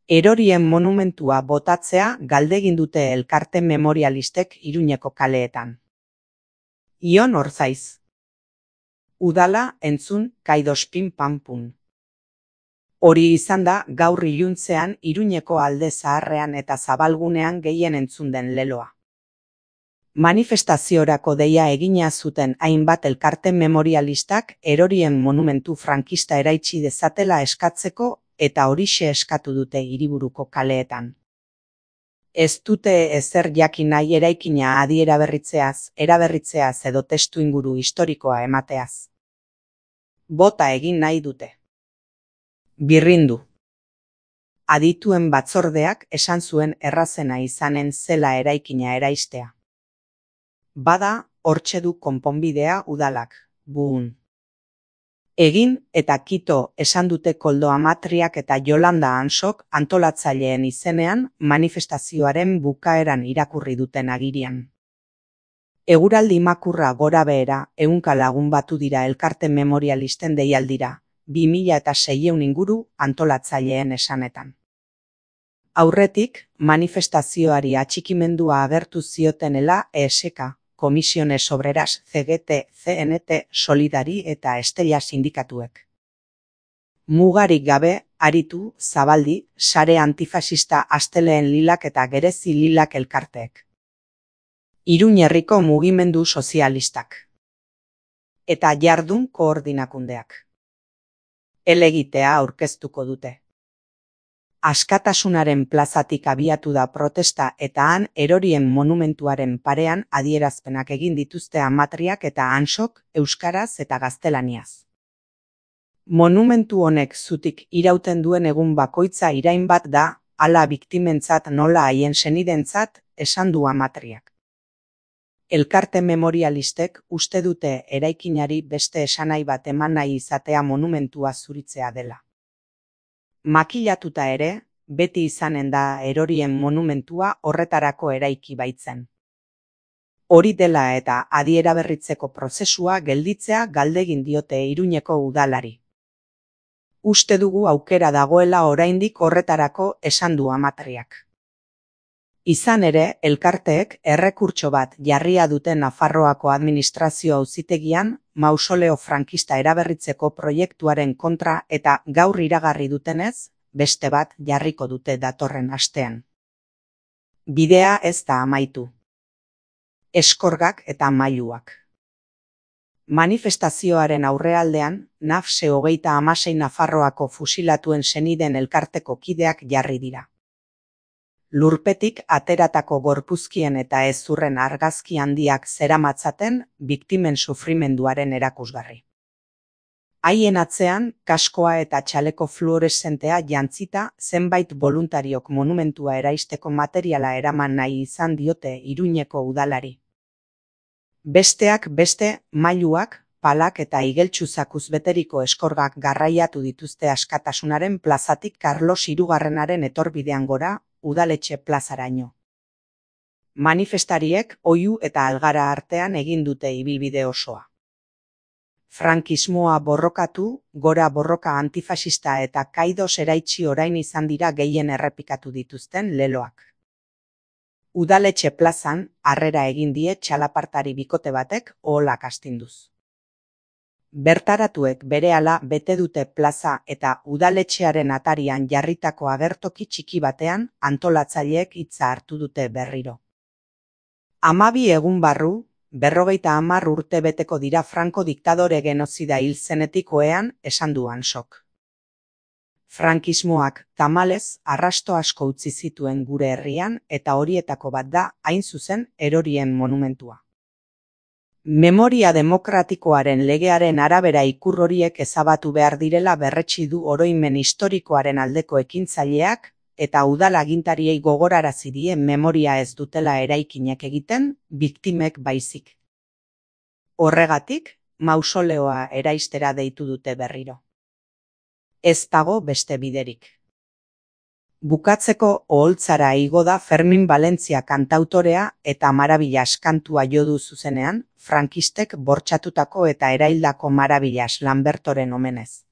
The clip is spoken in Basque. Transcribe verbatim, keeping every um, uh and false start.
Erorien monumentua botatzea galdegin dute elkarte memorialistek Iruñeko kaleetan. Ion Orzaiz. Udala entzun kaidospin panpun. Hori izan da gaur iluntzean Iruñeko alde zaharrean eta zabalgunean gehien entzun den leloa. Manifestaziorako deia egina zuten hainbat elkarte memorialistak erorien monumentu frankista eraitsi dezatela eskatzeko eta horixe eskatu dute hiriburuko kaleetan. Ez dute ezer jakin nahi eraikina adi eraberritzeaz, eraberritzeaz edo testu inguru historikoa emateaz. Bota egin nahi dute. Birrindu. Adituen batzordeak esan zuen errazena izanen zela eraikina eraistea. Bada, hortxe du konponbidea udalak, buun. Egin eta kito esan dute Koldo Amatriak eta Jolanda Ansok antolatzaileen izenean manifestazioaren bukaeran irakurri duten agirian. Eguraldi makurra gora behera ehunka lagun batu dira elkarte memorialisten deialdira, bi mila eta seiehun inguru antolatzaileen esanetan. Aurretik, manifestazioari atxikimendua agertu ziotenela E S K, Comisiones Obreras, C G T, C N T, Solidari eta Estella sindikatuek. Mugarik gabe, aritu, zabaldi, sare antifasista Asteleen Lilak eta Gerezi Lilak elkarteek. Iruñerriko mugimendu sozialistak. Eta jardun koordinakundeak. Helegitea aurkeztuko dute. Askatasunaren plazatik abiatu da protesta eta han erorien monumentuaren parean adierazpenak egin dituzte Amatriak eta Ansok euskaraz eta gaztelaniaz. Monumentu honek zutik irauten duen egun bakoitza irain bat da, hala biktimentzat nola haien senidentzat, esan du Amatriak. Elkarte memorialistek uste dute eraikinari beste esanai bat eman nahi izatea monumentua zuritzea dela. Makilatuta ere, beti izanen da erorien monumentua horretarako eraiki baitzen. Hori dela eta adieraberritzeko prozesua gelditzea galdegin diote Iruñeko udalari. Uste dugu aukera dagoela oraindik horretarako esan du Amatriak. Izan ere, elkarteek errekurtso bat jarria duten Nafarroako administrazio auzitegian mausoleo frankista eraberritzeko proiektuaren kontra eta gaur iragarri dutenez, beste bat jarriko dute datorren astean. Bidea ez da amaitu. Eskorgak eta mailuak. Manifestazioaren aurrealdean, Nafse hogeita hamasei Nafarroako fusilatuen seniden elkarteko kideak jarri dira. Lurpetik ateratako gorpuzkien eta hezurren argazki handiak zeramatzaten biktimen sufrimenduaren erakusgarri. Haien atzean, kaskoa eta txaleko fluoreszentea jantzita zenbait boluntariok monumentua eraisteko materiala eraman nahi izan diote Iruñeko udalari. Besteak beste, mailuak, palak eta igeltsuzakuz beteriko eskorgak garraiatu dituzte Askatasunaren plazatik Karlos hirugarrenaren etorbidean gora, udaletxe plazaraino. Manifestariek oihu eta algara artean egin dute ibilbide osoa. Frankismoa borrokatu, gora borroka antifasista eta kaidos eraitsi orain izan dira gehien errepikatu dituzten leloak. Udaletxe plazan, harrera egin die txalapartari bikote batek oholak astinduz. Bertaratuek berehala bete dute plaza eta udaletxearen atarian jarritako agertoki txiki batean antolatzaileek hitza hartu dute berriro. Hamabi egun barru, berrogeita hamar urte beteko dira Franco diktadore genozida hil zenetik ohean esan du Ansok. Frankismoak tamalez arrasto asko utzi zituen gure herrian eta horietako bat da hain zuzen erorien monumentua. Memoria demokratikoaren legearen arabera ikur horiek ezabatu behar direla berretsi du oroimen historikoaren aldeko ekintzaileak eta udal agintariei gogorarazi die memoria ez dutela eraikinek egiten, biktimek baizik. Horregatik, mausoleoa eraistera deitu dute berriro. Ez dago beste biderik. Bukatzeko oholtzara igo da Fermin Valentzia kantautorea eta Marabillas kantua jo du zuzenean, frankistek bortxatutako eta eraildako Marabillas Lambertoren omenez.